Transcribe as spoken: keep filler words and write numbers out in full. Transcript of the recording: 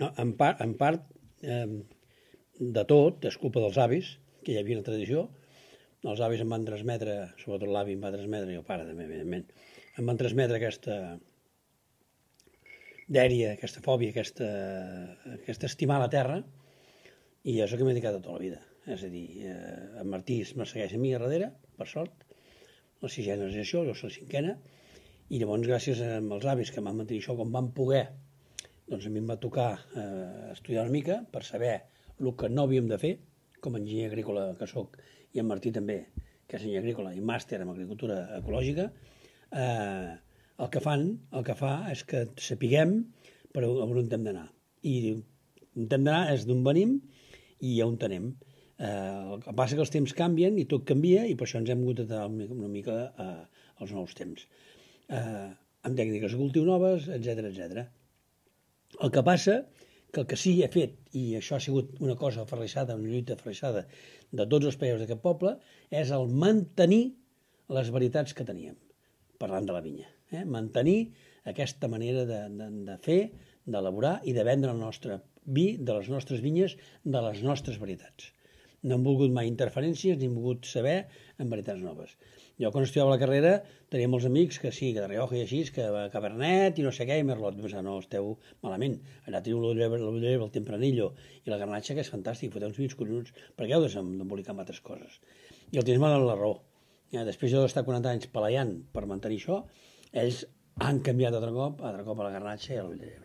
No, en part, en part eh, de tot, és culpa dels avis, que hi havia una tradició. Els avis em van transmetre, sobretot l'avi em va transmetre, i el pare també, evidentment, em van transmetre aquesta dèria, aquesta fòbia, aquesta, aquesta estimar la terra, i és el que m'he dedicat tota la vida. És a dir, eh, en Martí me segueix a mi a darrere, per sort, la sisena generació, jo soc la cinquena, i llavors gràcies als avis que m'han mantenir això com van poder, doncs a mi em va tocar eh, estudiar una mica per saber el que no havíem de fer, com a enginyer agrícola que sóc, i en Martí també, que és enginyer agrícola i màster en agricultura ecològica. eh, el que fan, el que fa és que sapiguem per on hem d'anar. I on hem d'anar és d'on venim i on anem. Eh, el que passa que els temps canvien i tot canvia i per això ens hem hagut d'adaptar una mica eh, als nous temps. Eh, amb tècniques de cultiu noves, etcètera etcètera. El que passa que el que sí he fet, i això ha sigut una cosa aferrissada, una lluita aferrissada de tots els països d'aquest poble, és el mantenir les varietats que teníem, parlant de la vinya. Eh? Mantenir aquesta manera de, de, de fer, d'elaborar i de vendre el nostre vi de les nostres vinyes, de les nostres varietats. No hem volgut mai interferències ni hem volgut saber en varietats noves. Jo quan estudiava la carrera tenia molts amics que sí, que de Rioja i així, que Cabernet i no sé què, i Merlot. Doncs no, esteu malament. Allà teniu l'Ollera, el Tempranillo i la Garnatxa, que és fantàstic, foteu uns vins collonuts. Per què heu d'embolicar amb altres coses? I el temps m'ha donat la raó. Ja, després jo d'estar quaranta anys peleant per mantenir això, ells han canviat altre cop, altre cop a la Garnatxa i a l'Ollera.